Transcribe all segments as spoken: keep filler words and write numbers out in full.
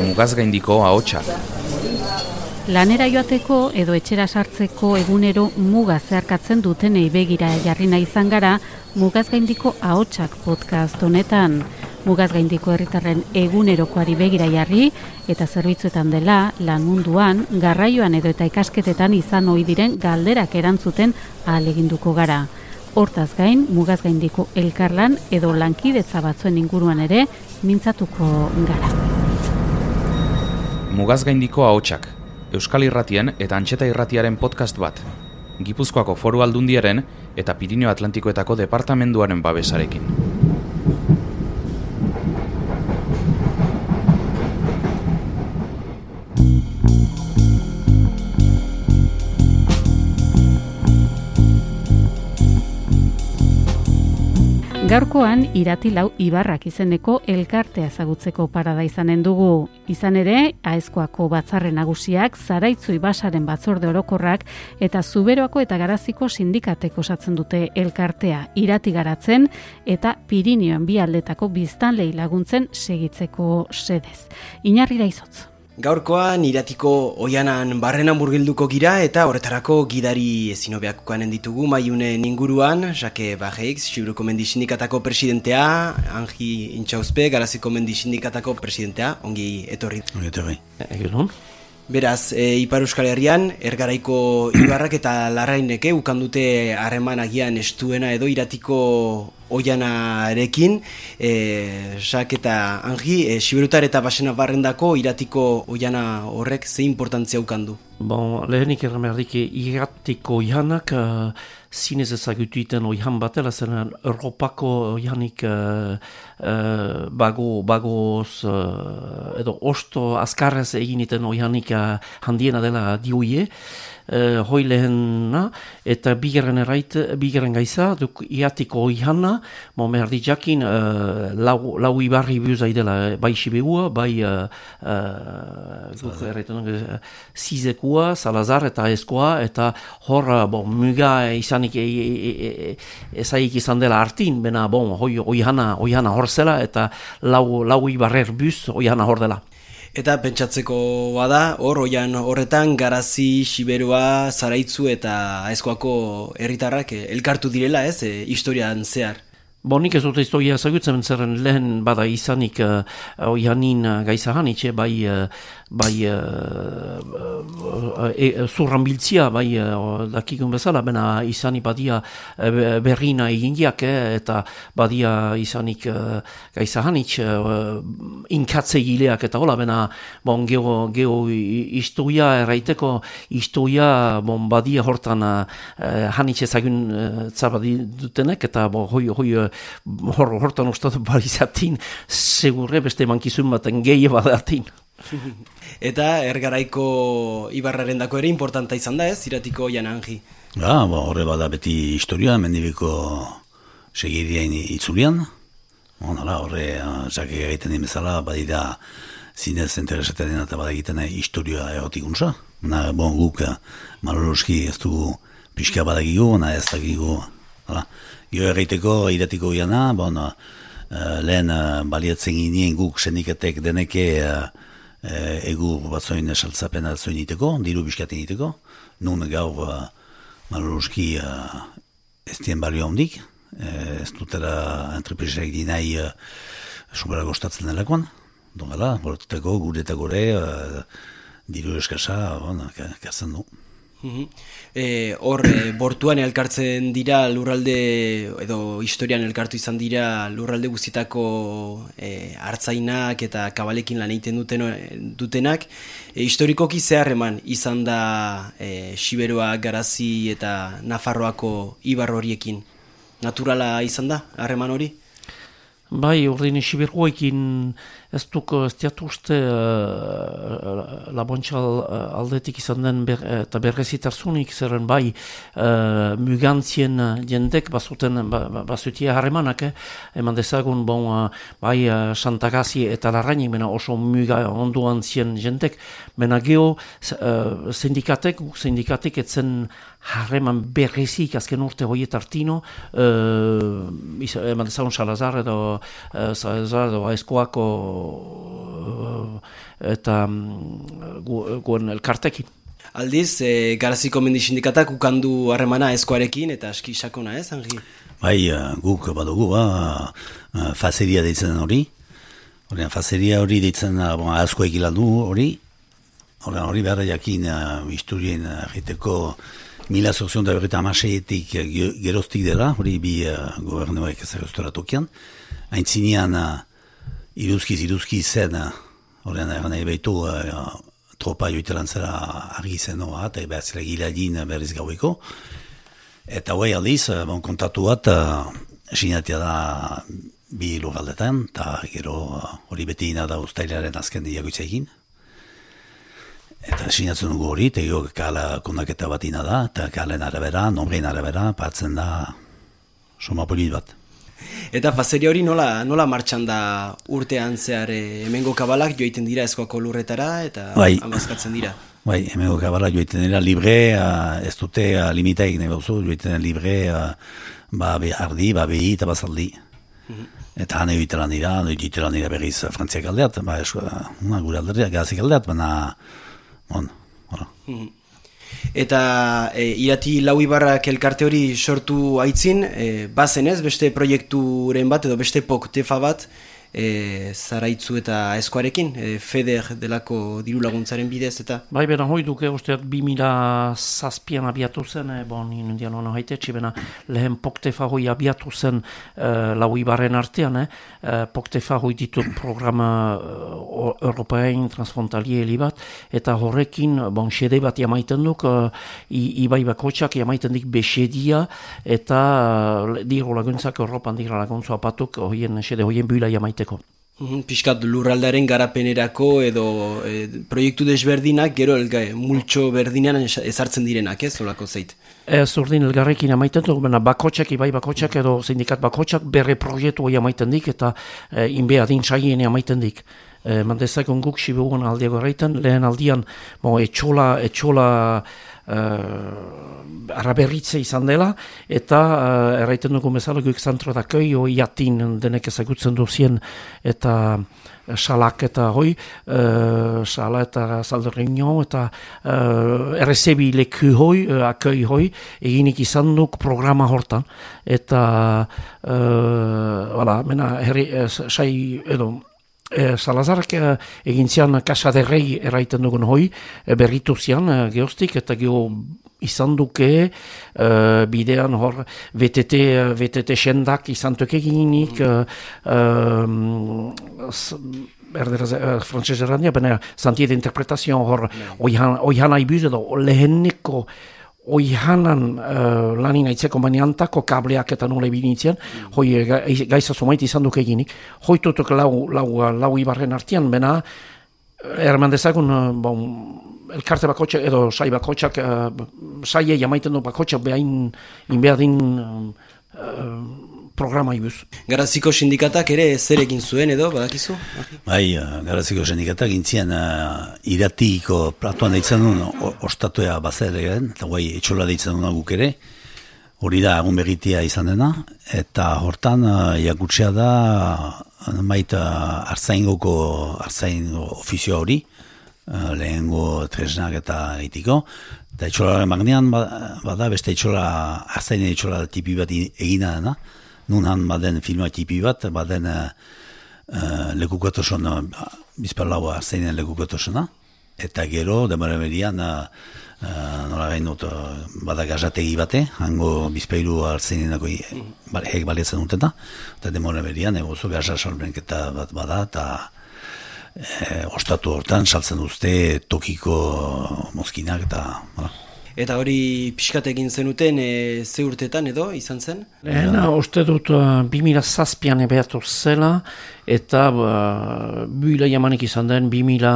Mugazgaindiko ahotsak. Lanera joateko edo etxera sartzeko egunero muga zeharkatzen dutenei begira jarri nahi izan gara Mugazgaindiko ahotsak podcast honetan. Mugazgaindiko herritarren egunerokoari begira jarri eta zerbitzuetan dela, lan munduan, garraioan edo eta ikasketetan izan ohi diren galderak erantzuten ahaleginduko gara. Hortaz gain, Mugazgaindiko elkarlan edo lankidetza batzuen inguruan ere mintzatuko gara. Mugazgaindiko ahotsak. Euskal Irratien eta Antxeta Irratiaren podcast bat. Gipuzkoako Foru Aldundiaren eta Pirinio Atlantikoetako departamenduaren babesarekin. Gaurkoan Iratilau Ibarrak izeneko elkartea ezagutzeko parada izanen dugu. Izan ere, Aezkoako batzarre nagusiak, Zaraitzu Ibasaren batzorde orokorrak eta Zuberoako eta Garaziko sindikatek osatzen dute elkartea Irati garatzen eta Pirinioen bi aldetako biztanlei laguntzen segitzeko sedez. Inarrira izotz. Gaurkoan Iratiko oianan barrenan murgilduko gira eta horretarako gidari ezinobeakokanen ditugu maiunen inguruan, Jake Bajeix, Xiburuko Mendi Sindikatako presidentea, Angi Intxauzpe, Garaziko Mendi Sindikatako presidentea, ongi etorri. Ongi etorri. Egun. Beraz, e, Ipar Euskal Herrian, Ergaraiko Ibarrak eta Larraineke ukandute harreman agian estuena edo Iratiko oianarekin, e, Sak eta Angi, e, Xiberutar eta Basena barrendako Iratiko oiana horrek ze importantzia ukandu? Bon, lehenik erramerdik Iratiko oianak uh, zinez ezagutu iten oian batela, zen Europako oianik uh, uh, bago, bagoz uh, edo osto azkarrez egin iten oianik uh, handiena dela dioie. Uh, hoi lehena, eta bigarren errait, bigarren gaiza, duk Iratiko oiana, mo merdi jakin, uh, lau, lau ibarri biuzai dela, bai Sibegua, bai uh, uh, duk erraiten uh, Zizekua, Salazar eta Aezkoa, eta hor, bon, muga izanik e, e, e, ezaik izan dela hartin, bena, bon, hoi oiana, oiana hor zela, eta lau, lau ibarrer buz oiana hor dela. Eta pentsatzeko bada, hor oian horretan Garazi, Xiberua, Zaraitzu eta Aezkoako herritarrak elkartu direla, ez, e, historian zehar. Bo, nik ez dute historia ezagutzen zerren lehen bada izanik uh, oianin uh, gaizahanitxe, bai, uh, bai uh, uh, e, zurran biltzia, bai uh, dakikun bezala, bena izanik badia uh, berrina egindiak, eh, eta badia izanik uh, gaizahanitx, uh, inkatze gileak eta hola, bena bon, geho, geho historia erraiteko, historia bon, badia hortan uh, hanitxe ezagun uh, zabadi dutenek, eta bon, hoi, hoi Hor, hortan ustatu balizatin, segurre beste mankizun baten gehi badatin. Eta Ergaraiko Ibarraren dako ere importanta izan da ez, Iratiko oian Angi? Ja, ba, horre bada beti historia, mendibiko segirien itzulian. Honala, horre, jake egiten dimezala, badira zinez interesatzen dena eta badagiten historia erotikuntza. Na, bon, guk, maloroski ez dugu pixka badagigu, na ez dakigu, hala. Gio erraiteko Iratiko oiana, bon, uh, lehen uh, baliatzen ginen guk sendikatek deneke uh, uh, egur batzoin saltzapen atzoin iteko, diru biskaten iteko, nun gaur uh, maloroski uh, ez dien balio hondik, uh, ez dutela entrepresak dinai uh, sobera gostatzen delakoan, don gala, borteko gure eta gore uh, diru eskasa, bon, kazen du. E, hor, e, bortuan elkartzen dira lurralde, edo historian elkartu izan dira lurralde guztietako e, hartzainak eta kabalekin lan egiten duten, dutenak. E, historikoki zeharreman izan da e, Xiberua, Garazi eta Nafarroako ibar horiekin. Naturala izan da, harreman hori? Bai, ordin Xiberuaekin ez duk ez diatu uste uh, labontxal aldetik izan den ber, eta berrezitarzunik zerren bai uh, mugantzien jendek bazuten ba, bazutia harremanak, eh? Eman dezagun bon, uh, bai uh, Santagazi eta Larrainik mena oso muga onduan zien jendek, mena geho uh, sindikatek, sindikatek etzen harreman berrezik azken urte hoietartino, uh, eman dezagun Salazar edo uh, Salazar edo Aizkoako uh, eta um, guen elkartekin. Aldiz, e, Garaziko Mendi Sindikatak ukandu harremana Aizkoarekin eta aski sakona, ez, Angi? Bai, guk badugu, ba, fazeria deitzen hori. Horrean, fazeria hori deitzen bon, Aizkoek ilandu hori. Horrean, hori behar jakin uh, historien egiteko mila zorzion da berreta amaseietik geroztik dela, hori bi uh, gobernuak ezagoztora tokian. Aintzinean, uh, iruzkiz, iruzkiz zen, uh, horrean, erran nahi behitu, uh, tropa joitelan zera argi zenoa, eta behar zela giladin berriz gaueko. Eta hoi aldiz, bon, kontatu bat, uh, sinatia da bi lurraldetan, eta gero hori uh, beti ina da ustailaren azken diagoitza egin. Eta sinatzen dugu hori, eta gero kala kondaketa bat ina da, eta kalen arabera, nombrein arabera, patzen da soma polit bat. Eta fazeria hori nola, nola martxan da urtean zehar e, hemengo kabalak joiten dira Aizkoako lurretara eta bai, amazkatzen dira? Bai, hemengo kabalak joiten dira libre, uh, ez dute uh, limitaik nahi bauzu, joiten dira libre, uh, ba be ardi, ba behi eta bazaldi. Mm-hmm. Eta hane joitelan dira, joitelan dira berriz Frantziak aldeat, ba esko, uh, gure alderria, gazik aldeat, baina, bon, hola. Mm-hmm. Eta e, irati lau ibarrak elkarte hori sortu aitzin, e, bazen ez, beste proiekturen bat edo beste poktefa bat e, Zaraitzu eta Aizkoarekin, e, FEDER delako diru laguntzaren bidez eta... Bai, bera, hoi duke, usteat, bi mila zazpian abiatu zen, e, bon, inundian hona haitetxe, bena, lehen poktefa hoi abiatu zen e, lau ibarren artean, eh? e, poktefa hoi ditut programa e, Europain transfrontalier bat, eta horrekin, bon, xede bat jamaiten duk, e, ibai bakotxak jamaiten dik besedia, eta e, diru laguntzak, Europan diru laguntza apatuk, hoien, xede hoien buila jamaiten. Piskat lurraldaren garapenerako edo e, proiektu desberdinak gero elga, multxo berdinean ezartzen direnak, ez, olako zeit? Ez urdin elgarrekin amaiten duk, bakotxak, ibai bakotxak edo sindikat bakotxak berre proiektu hori amaiten dik eta e, inbea din saien amaiten dik. E, Mandezakon guk sibugun aldiago erraiten, lehen aldian bo, etxola, etxola Uh, araberritze izan dela, eta uh, erraiten dugu bezala guk zantro da koi, hoi jatin denek ezagutzen duzien, eta salak eta hoi, uh, sala eta zalderreino, eta uh, errezebi leku hoi, uh, akoi hoi, eginik izan duk programa hortan, eta uh, wala, mena, herri, uh, sai, edo, E, Salazarek e, egin zian kasaderrei erraiten dugun hoi, e, berritu zian e, geostik, eta geho izan duke e, bidean hor V T T, V T T sendak izan duke eginik, e, e, erderaz, e, frantzez errandia, baina zantiet interpretazioan hor oihan, oihan aibuz edo leheneko oihanan uh, lanin aitzeko maniantako kableak eta nola ebinitzen, mm. hoi gaiza zumait izan duk eginik. Hoi tutuk lau, lau, lau ibarren artian, bena, erman dezagun, uh, bon, elkarte bakotxak edo sai bakotxak, uh, saie jamaiten du bakotxak behain inbeadin uh, uh, programa ibuz. Garaziko sindikatak ere zer egin zuen edo, badakizu? Bai, Garaziko sindikatak intzien uh, iratiko platuan deitzen duen ostatuea bazer egin, eta guai etxola deitzen duen guk ere, hori da egun berritia izan dena, eta hortan uh, jakutsea da uh, maita uh, artzaingoko artzain ofizioa hori, uh, lehengo tresnak eta egitiko, eta etxolaren magnean bada beste etxola, artzainen etxola tipi bat egina dena, nun han baden filma tipi bat, baden uh, uh, lekukatoson, uh, bizparlaua zeinen lekukatosona, eta gero, demara berian, uh, uh, nola gain dut, uh, bada gazategi bate, hango bizpailu hartzeinenako mm. hek baliatzen dutena, eta demara berian, egozo gaza salbenketa bat bada, eta e, ostatu hortan saltzen duzte tokiko mozkinak, eta... Bada. Eta hori pixkat egin zenuten e, ze urtetan edo izan zen? Lehena, uste dut uh, bi mila zazpian ebeatu zela, eta uh, buila jamanik izan den bi mila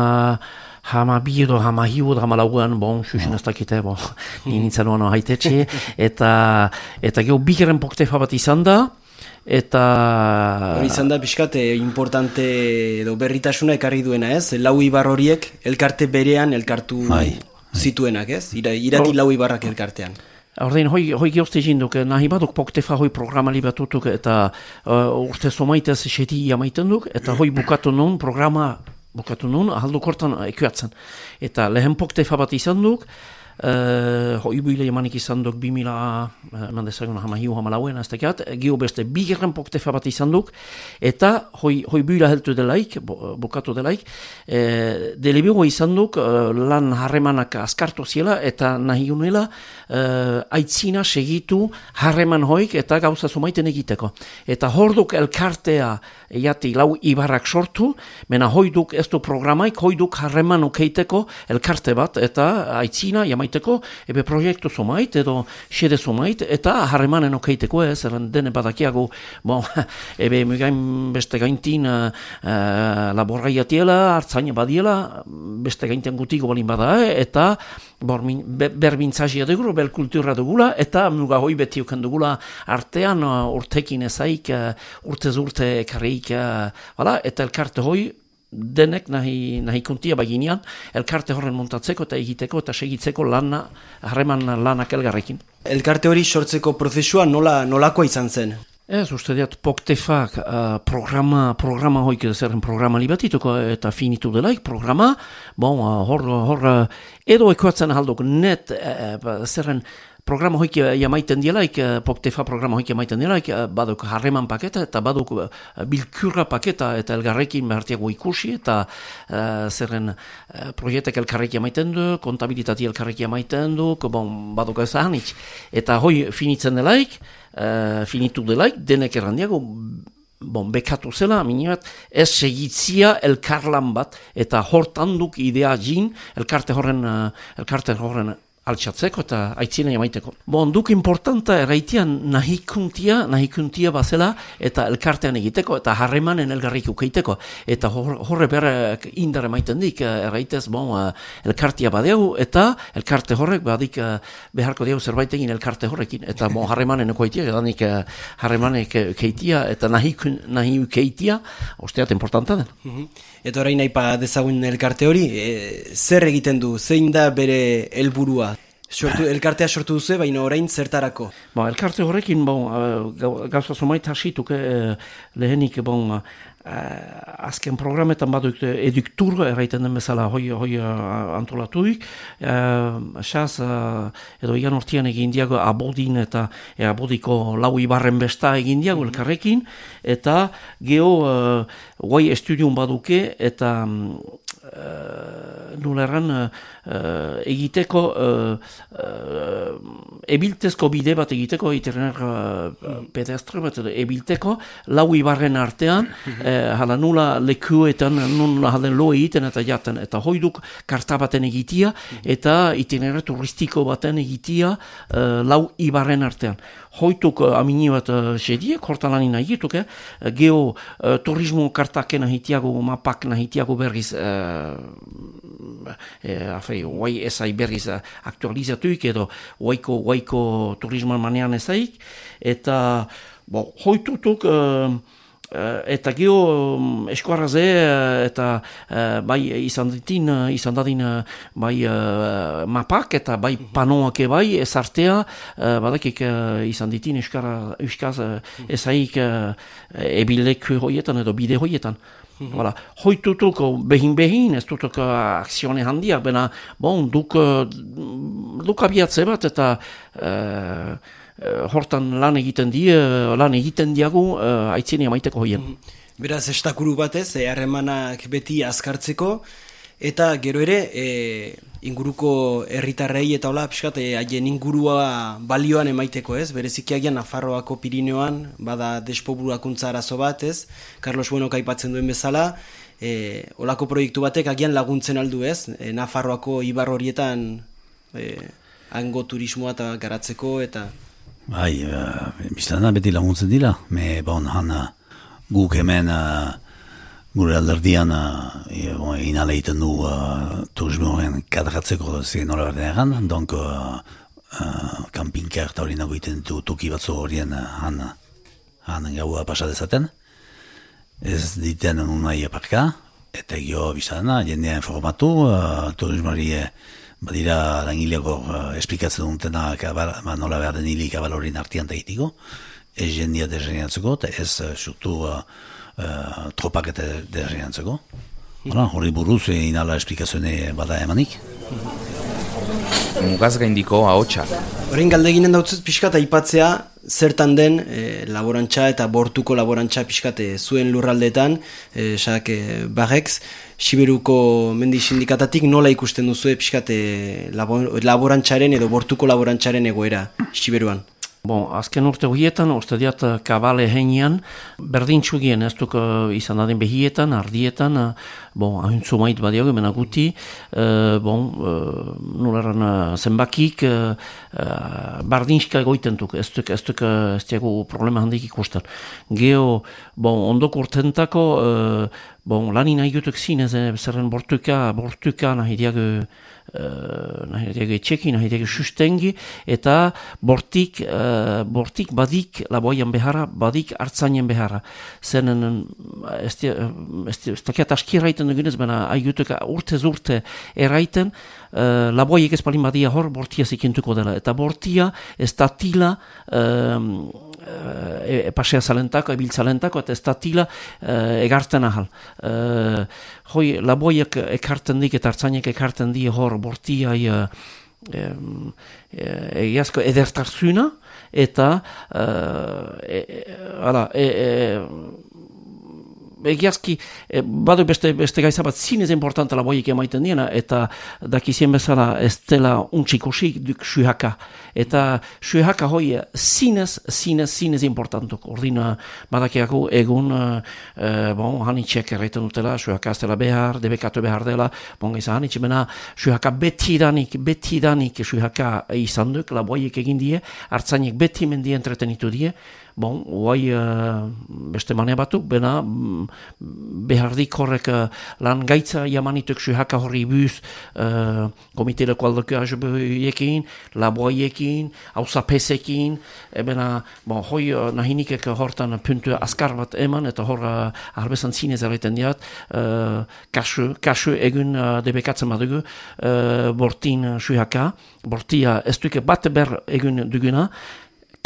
hama bi edo hama hiu edo hama lauan, bon, xuxen ez dakite, bon, nintzen oano haitetxe, eta, eta geho bigeren poktefa bat izan da, eta... Hori izan da, pixkat, eh, importante edo berritasuna ekarri duena ez, lau ibar horiek elkarte berean elkartu... Ai. Zituenak, ez? Ira, irati lau ibarrak elkartean. Ordein, hoi, hoi geozte jinduk, nahi baduk poktefa hoi programa libatutuk eta uh, urte somaitez seti jamaiten duk, eta hoi bukatu nun programa bukatu nun, ahalduk hortan ekuatzen. Eta lehen poktefa bat izan duk, Uh, hoi buile emanik izan duk bimila uh, mandezagun hama hiu hama lauen aztekat, gio beste bigerren poktefa bat izan duk, eta hoi, hoi buila heltu delaik, bukatu delaik, uh, delebego izan duk uh, lan harremanak askartu ziela, eta nahi unela uh, aitzina segitu harreman hoik eta gauza zumaiten egiteko. Eta hor duk elkartea jati lau ibarrak sortu, mena hoi duk ez du programaik, hoi duk harreman ukeiteko elkarte bat, eta aitzina jamaiteko ebe proiektu zomait edo xede zomait eta harremanen okeiteko ez, eran dene badakiago bon, ebe mugain beste gaintin uh, uh, laborgaiatiela, hartzaina badiela, beste gainten gutiko balin bada, eh? Eta be, berbintzazia dugula, bel kultura dugula, eta muga hoi beti uken dugula artean uh, urtekin ezaik, uh, urtez urte karreik, uh, voilà, eta elkarte hoi denek nahi, nahi kontia baginean, elkarte horren montatzeko eta egiteko eta segitzeko lana, harreman lanak elgarrekin. Elkarte hori sortzeko prozesua nola, nolakoa izan zen? Ez, uste diat, poktefak uh, programa, programa hoik zerren programa libatituko eta finitu delaik programa, bon, uh, hor, hor uh, edo ekoatzen ahalduk net uh, zerren programa hoik jamaiten dielaik, poktefa programa hoik jamaiten dielaik, baduk harreman paketa eta baduk bilkurra paketa eta elgarrekin behartiago ikusi eta uh, zerren uh, proiektek elkarrek jamaiten du, kontabilitati elkarrek jamaiten du, bon, baduk ez ahanitz. Eta hoi finitzen delaik, uh, finitu delaik, denek errandiago, bon, bekatu zela, minibat, ez segitzia elkarlan bat, eta hortan duk idea jin, elkarte horren, uh, elkarte horren altxatzeko eta aitzina jamaiteko. Bon, duk importanta erraitean nahikuntia, nahikuntia bazela eta elkartean egiteko eta harremanen elgarrik ukeiteko. Eta hor, horre berrek indar emaiten dik, erraitez, bon, elkartia badeu eta elkarte horrek badik beharko diau zerbait egin elkarte horrekin. Eta bon, harremanen ukeitia, edanik harremanek ukeitia eta nahi, nahi ukeitia, osteat importanta den. Mm-hmm. Eta orain nahi pa dezagun elkarte hori, e, zer egiten du, zein da bere helburua? Sortu, elkartea sortu duzu, baina orain zertarako? Ba, elkarte horrekin, bon, gauza zomait hasituk, eh, lehenik, bon, eh, azken programetan baduk eduktur, erraiten den bezala, hoi, hoi antolatuik, eh, xaz, eh, edo igan hortian egin diago abodin eta e, abodiko lau ibarren besta egin diago elkarrekin, eta geho, eh, guai estudiun baduke, eta Uh, nuleran uh, egiteko uh, uh, ebiltezko bide bat egiteko itinerar uh, pedestre bat ebilteko lau ibarren artean uh, hala nula lekuetan nula halen lo egiten eta jaten eta hoiduk karta baten egitia eta itinerar turistiko baten egitia uh, lau ibarren artean hoituk uh, amini bat uh, sediek hortalanin nahituk eh? Geho uh, turismo kartaken nahitiago mapak nahitiago berriz uh, E, afei, guai ezai berriz aktualizatuik edo guaiko, guaiko turismoan manean ezaik eta bo, hoitutuk uh, uh, eta geho um, eskuarraze uh, eta uh, bai izan ditin uh, izan dadin uh, bai uh, mapak eta bai panoak bai ezartea uh, badakik uh, izan ditin eskara, eskaz uh, ezaik uh, ebilek hoietan edo bide hoietan. Voilà. Hoitutuk behin-behin, ez dutuk akzione handia, bena, bon, duk, duk abiatze bat eta uh, hortan lan egiten die, lan egiten diagu uh, aitzini amaiteko hoien. Beraz, estakuru batez, harremanak beti azkartzeko, eta gero ere, e, inguruko herritarrei eta hola, pixkat, haien ingurua balioan emaiteko, ez? Berezikiagian Nafarroako Pirineoan, bada despobulakuntza arazo bat, ez? Carlos Buenok aipatzen duen bezala, e, olako proiektu batek agian laguntzen aldu, ez? E, Nafarroako ibar horietan e, hango turismoa eta garatzeko, eta... Bai, uh, biztana beti laguntzen dira, me bon, hana guk hemen... Uh, Gure alderdian uh, inala egiten du uh, turismoen kadratzeko zen nola berden egan, donk uh, uh, kampinka eta hori nago egiten du toki batzu horien uh, han, han gaua pasadezaten. Ez diten unai aparka, eta gio biztana, jendea informatu, uh, turismoari badira langileko uh, esplikatzen dutena kabal, ba, nola behar den hili kabalorin artian egitiko, ez jendia desengatzeko, eta ez uh, surtu uh, uh, tropak eta desengatzeko. Hori buruz inala esplikazioene bada emanik. Mugaz gaindiko ahotsa. Horrein galdeginen dautzut pixka eta aipatzea zertan den e, laborantza eta bortuko laborantza pixka zuen lurraldeetan, e, sak e, Barrex, Siberuko mendi sindikatatik nola ikusten duzu pixka labor, laborantzaren edo bortuko laborantzaren egoera Siberuan? Bon, azken urte horietan, uste diat kabale heinean, berdintxugien ez duk izan adin behietan, ardietan, bon, ahuntzu mait badiago, mena guti, uh, bon, uh, nuleran uh, zenbakik, uh, uh, bardintxka egoiten duk, ez duk, ez duk, ez diago problema handik ikusten. Geo, bon, ondok urtentako, uh, bon, lani nahi gutuk zinez, eh, zerren bortuka, bortuka nahi diago, Uh, nahi diago etxeki, nahi diago sustengi, eta bortik, uh, bortik badik laboian beharra, badik hartzainen beharra. Zenen, ez dakiat aski erraiten dugunez, baina aigutuk urtez urte erraiten, uh, laboiek ez palin badia hor, bortia zikintuko dela. Eta bortia ez datila uh, e, e, pasea zalentako, ebil zalentako, eta ez datila uh, egarten ahal. Uh, hoi, laboiek ekarten dik eta hartzainek ekarten di hor bortiai uh, um, egiazko edertarzuna eta uh, e, e, ala, e, e, egiazki, e, badu beste, beste gaiza bat zinez importanta laboiek emaiten diena, eta dakizien bezala ez dela untxikusik duk suhaka. Eta suhaka hoi zinez, zinez, zinez importantuk. Ordina badakiako egun, e, bon, hanitxek erraiten dutela, suhaka ez dela behar, debekatu behar dela, bon, izan hanitxe, bena suhaka betidanik, betidanik suhaka izan duk, laboiek egin die, hartzainek beti mendi entretenitu die. Bon, guai uh, beste manea batuk, bena behardik horrek uh, lan gaitza jamanituk suhaka horri buz uh, komiteleko aldoko ajubeiekin, laboiekin, hausapesekin, e bena, bon, hoi uh, nahinikek hortan puntu askar bat eman, eta hor uh, arbezan zinez erraiten diat, uh, kasu, kasu egun uh, debekatzen badugu, uh, bortin uh, suhaka, bortia ez duke bat ber egun duguna,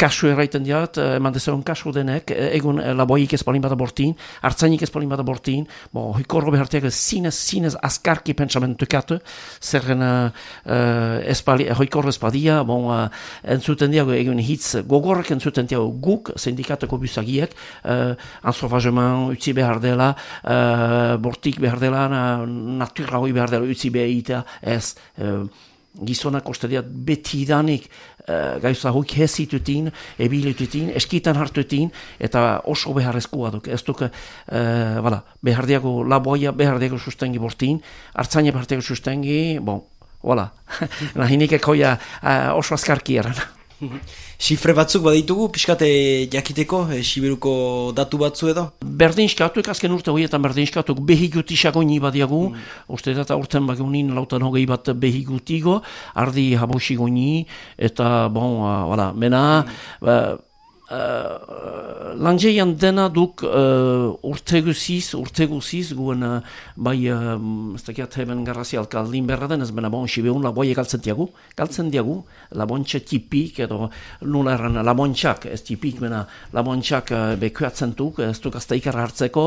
kasu erraiten diat, eman dezagun kasu denek, egun laboik ez palin bada bortin, hartzainik ez palin bada bortin, bo, hoikorro behartiak zinez, zinez askarki pentsamentukatu, zerren uh, hoikorro ez badia, bon, uh, entzuten diago egun hitz gogorrek entzuten diago guk, sindikatako buzagiek, uh, ansofajeman utzi behar dela, uh, bortik behar dela, natura hoi behar dela utzi behar ez, uh, gizonak ostediat betidanik uh, gaiza hoik hezitutin, ebilitutin, eskitan hartutin, eta oso beharrezkoa duk. Ez duk, uh, bala, behar diago laboia, behar diago sustengi bortin, hartzaina behar diago sustengi, bon, wala, nahinik ekoia uh, oso askarki eran. Sifre batzuk baditugu, pixkate jakiteko, e, Siberuko datu batzu edo? Berdinskatuk, azken urte horietan berdinskatuk behigutisago ni badiagu, mm. uste eta urten bagunin lautan hogei bat behigutigo, ardi habosigo ni, eta bon, uh, wala, mena, mm. uh, Uh, Lanjeian dena duk uh, urte guziz, urte guziz, guen uh, bai, uh, ez dakiat heben garrazi alkaldin berra den, ez bena bon, Sibeun laboie galtzen diagu, galtzen diagu, labontxa tipik, edo nula erran labontxak, ez tipik, bena labontxak uh, bekuatzen duk, ez duk azta ikarra hartzeko,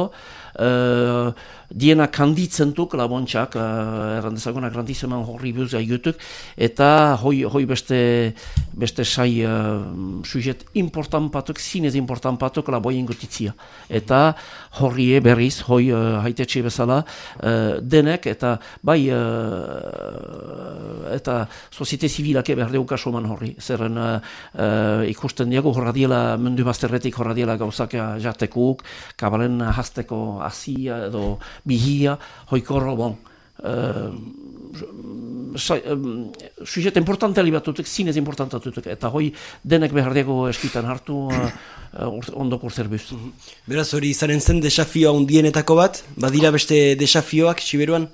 uh, diena kanditzen duk labontxak, uh, erran dezagunak randizeman horri buz aigutuk, eta hoi, hoi beste, beste sai uh, sujet important patok, zinez important patok laboien gotitzia. Eta horrie berriz, hoi uh, haitetxe bezala, uh, denek, eta bai, uh, eta soziete zibilake behar deuka soman horri. Zerren uh, uh, ikusten diago horra diela, mundu bazterretik horra diela gauzak jatekuk, kabalen hasteko azia edo bihia, hoikorro, bon, uh, sujet importante alibatutuk, zinez importantatutuk, eta hoi denek behar diago eskitan hartu uh, uh, ondoko zerbuz. Beraz hori izanen zen desafioa undienetako bat, badira beste desafioak Siberuan?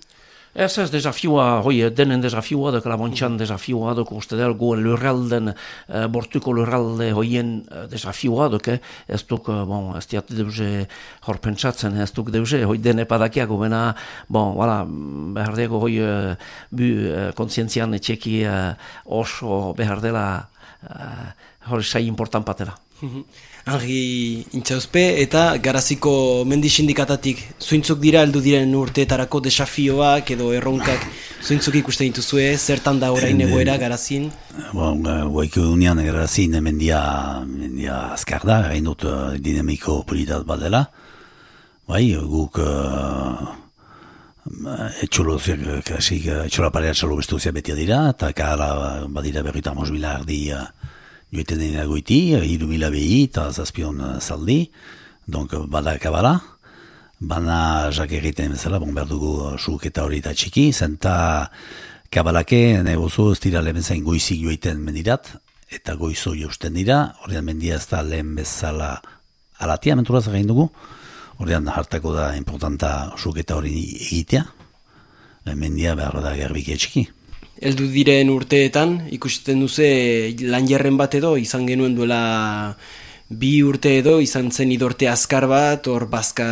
Ez ez, desafioa, hoi, denen desafioa, duk labontxan desafioa, duk uste dut, goen lurralden, uh, bortuko lurralde hoien uh, desafioa, duk, eh? ez duk, uh, bon, ez diat deuze horpentsatzen, ez duk deuze, hoi den epadakiago, bena, bon, wala, behar dugu, hoi, uh, bu, uh, kontzientzian etxeki uh, oso behar dela, uh, hori sai important patela. Henri Intxauzpe eta Garaziko mendi sindikatatik zuintzuk dira heldu diren urteetarako desafioak edo erronkak zuintzuk ikusten dituzue, zertan da orain egoera Garazin? Bon, guaiko unian Garazin mendia, mendia azkar da, gain dut dinamiko politat bat dela. Bai, guk uh, etxoloziak, kasik, etxola parea txalo bestuzia betia dira, eta kara badira berrita mos mila ardi uh, joiten dena goiti, hiru mila behi eta zazpion zaldi, donc bada kabala, bana jak egiten bezala, bon behar dugu suk eta hori eta txiki, zenta kabalake, negozo ez dira lehen zain goizik joiten mendirat, eta goizo jausten dira, horrean mendia ez da lehen bezala alatia, menturaz egin dugu, horrean hartako da importanta suk eta hori egitea, mendia behar da garbike txiki. Heldu diren urteetan, ikusten duze lan jarren bat edo, izan genuen duela bi urte edo, izan zen idorte azkar bat, hor bazka,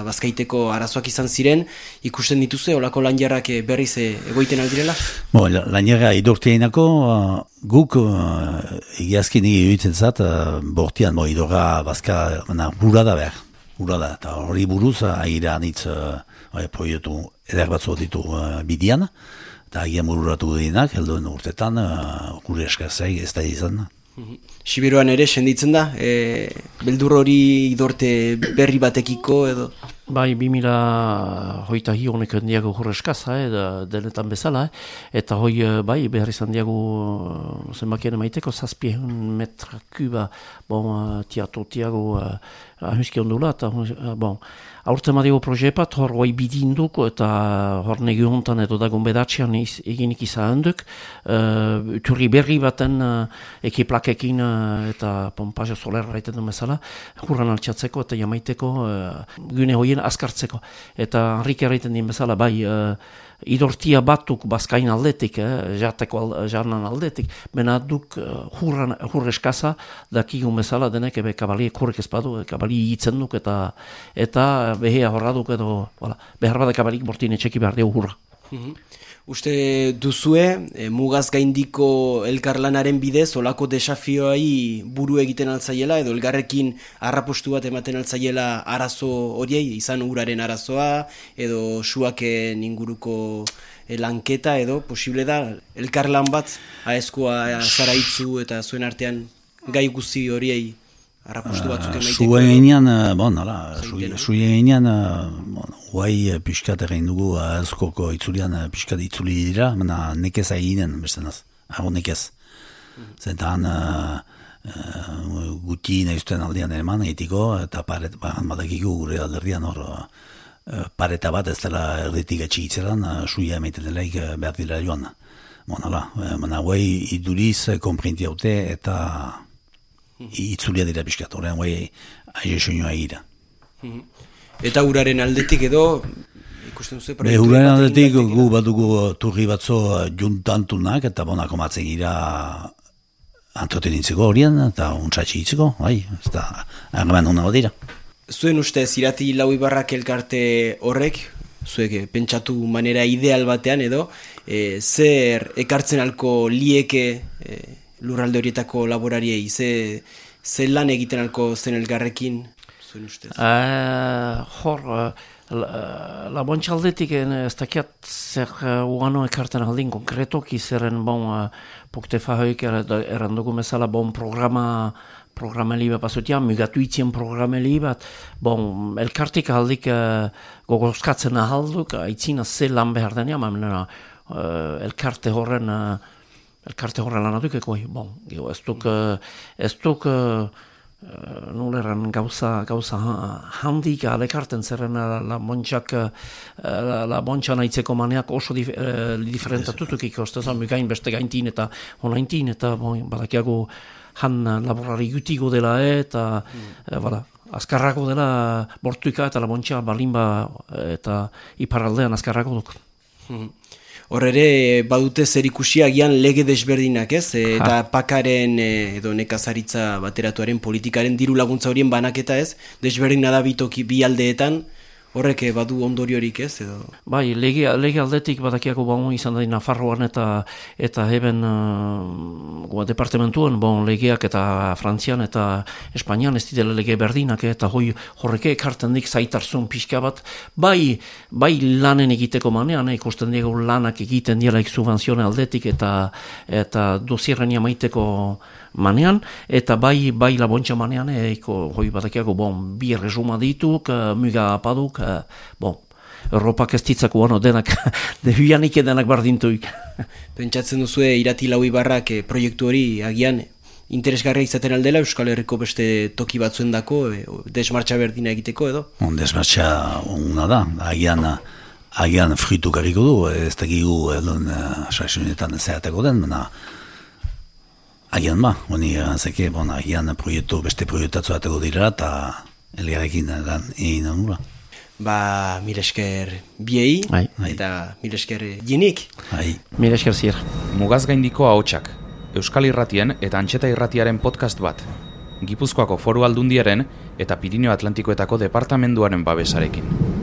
bazkaiteko arazoak izan ziren, ikusten dituze, olako lan jarrak berriz egoiten aldirela? Bo, lan jarra idorteainako, uh, guk uh, egiazkin egitzen zat, uh, bortian, bo, idorra bazka, na, hura da behar, hura da, eta hori buruz, agira anitz, uh, proietu eder batzu ditu uh, bidian, eta agian bururatu dinak, helduen urtetan, uh, gure eskarzai ez da izan. Siberuan ere, senditzen da, e, beldur hori idorte berri batekiko edo? Bai, bi mila hoita hi honek diago hor eskaza, eh, denetan bezala, eh, eta hoi, bai, behar izan diago zenbakien maiteko, zazpien metra kuba, bon, tiato tiago, uh, ahuski ondula, eta, uh, bon, aurten madigo projepat, hor hoi bidinduk, eta hor negi hontan edo dagoen bedatxean eginik izan duk, uh, turri berri baten uh, ekiplakekin uh, eta pompaja solerra raiten du bezala, hurran altxatzeko eta jamaiteko uh, gune hoien azkartzeko. Eta Henrik erraiten din bezala, bai, uh, idortia batuk bazkain aldetik, eh, jateko al, jarnan aldetik, bena duk uh, hurran, hurre eskaza, dakigun bezala denek ebe kabaliek hurrek ezpadu, kabali hitzen duk, eta eta behea horra duk edo, wala, behar bada kabalik bortin etxeki behar deu hurra. Mm-hmm. Uste duzue, e, mugaz gaindiko elkarlanaren bidez, olako desafioai buru egiten altzaiela, edo elgarrekin harrapostu bat ematen altzaiela arazo horiei, izan uraren arazoa, edo suaken inguruko e, lanketa, edo posible da, elkarlan bat, aezkoa zaraitzu eta zuen artean gai guzti horiei harrapostu batzuk emaiteko. Zuen eginean, bon, ala, zuen eginean, bon, guai piskat egin dugu, aezkoko itzulian piskat itzuli dira, mena nekez eginen, bestenaz, hago nekez. Zentan, uh, uh, guti nahiztuen aldean eman egitiko, eta paret, bagan badakiko gure alderdian hor, uh, pareta bat ez dela erditik atxikitzeran, uh, suia emaiten delaik uh, behar dira joan. Bon, ala, uh, mena guai iduriz, komprinti haute, eta itzulia dira piskat, horrean guai aile soinua egira. Eta uraren aldetik edo, ikusten duzu? Be, uraren aldetik gu badugu turri batzo juntantunak, eta bonako matzen gira entretenintzeko horien, eta untsatxe hitzeko, bai, ez da, argaman hona badira. Zuen ustez, irati lau ibarrak elkarte horrek, zuek pentsatu manera ideal batean edo, e, zer ekartzen alko lieke e, lurralde horietako laborariei, ze, ze lan egiten alko zen elgarrekin, zuen ustez? Uh, hor, uh, la, la bontxaldetik ez dakiat zer uh, uano ekarten aldin konkretoki zeren bon, uh, pukte fahoik errandugu mesala bon programa programeli bat bazutia, mugatu itzien programeli bat, bon, elkartik aldik uh, gogozkatzen ahalduk, aitzina ze lan behar denia, ma menera, uh, elkarte horren uh, elkarte horren lan aduk eko, bon, geho, ez duk, uh, ez duk uh, Uh, nuleran gauza, gauza handik alekarten zerren la, la bontxak uh, la, la bontxa nahitzeko maneak oso dif, uh, diferentatutuk ikostezan mugain beste gaintin eta honaintin eta bon, badakiago han laborari gutigo dela eta mm. uh, bada, azkarrako dela bortuika eta la bontxa balimba eta iparaldean azkarrako duk. Hor ere, badute zer ikusi agian lege desberdinak ez, e, eta pakaren e, edo nekazaritza bateratuaren politikaren diru laguntza horien banaketa ez, desberdina da bitoki bi aldeetan, horrek badu ondoriorik ez edo? Bai, lege, lege aldetik badakiako bon, izan da Nafarroan eta eta heben uh, departamentuan bon, legeak eta Frantzian eta Espainian ez ditela lege berdinak eta hoi horreke ekarten dik zaitarzun pixka bat bai, bai lanen egiteko manean, ikusten diego lanak egiten dielaik subvenzione aldetik eta eta dosierren jamaiteko manean, eta bai bai labontxa manean, eko, hoi badakiako bon, bi resuma dituk, uh, muga apaduk, uh, bon, Europak ez ditzako bueno, denak, debianik denak bardintuik. Pentsatzen duzue irati lau ibarrak eh, proiektu hori agian interesgarria izaten aldela Euskal Herriko beste toki batzuen dako, eh, desmartxa berdina egiteko edo? On desmartxa ona da, agian, agian frituk harriko du, ez dakigu edon uh, saisunetan zehateko den, baina agian ba, honi erantzeke, bon, agian proiektu, beste proiektatzu ateko dira eta elgarrekin lan egin nula. Ba, mil esker biei, Ai. eta mil esker jinik. Ai. Mil esker zier. Mugaz gaindiko ahotsak, Euskal Irratien eta Antxeta Irratiaren podcast bat, Gipuzkoako Foru Aldundiaren eta Pirinio Atlantikoetako departamenduaren babesarekin.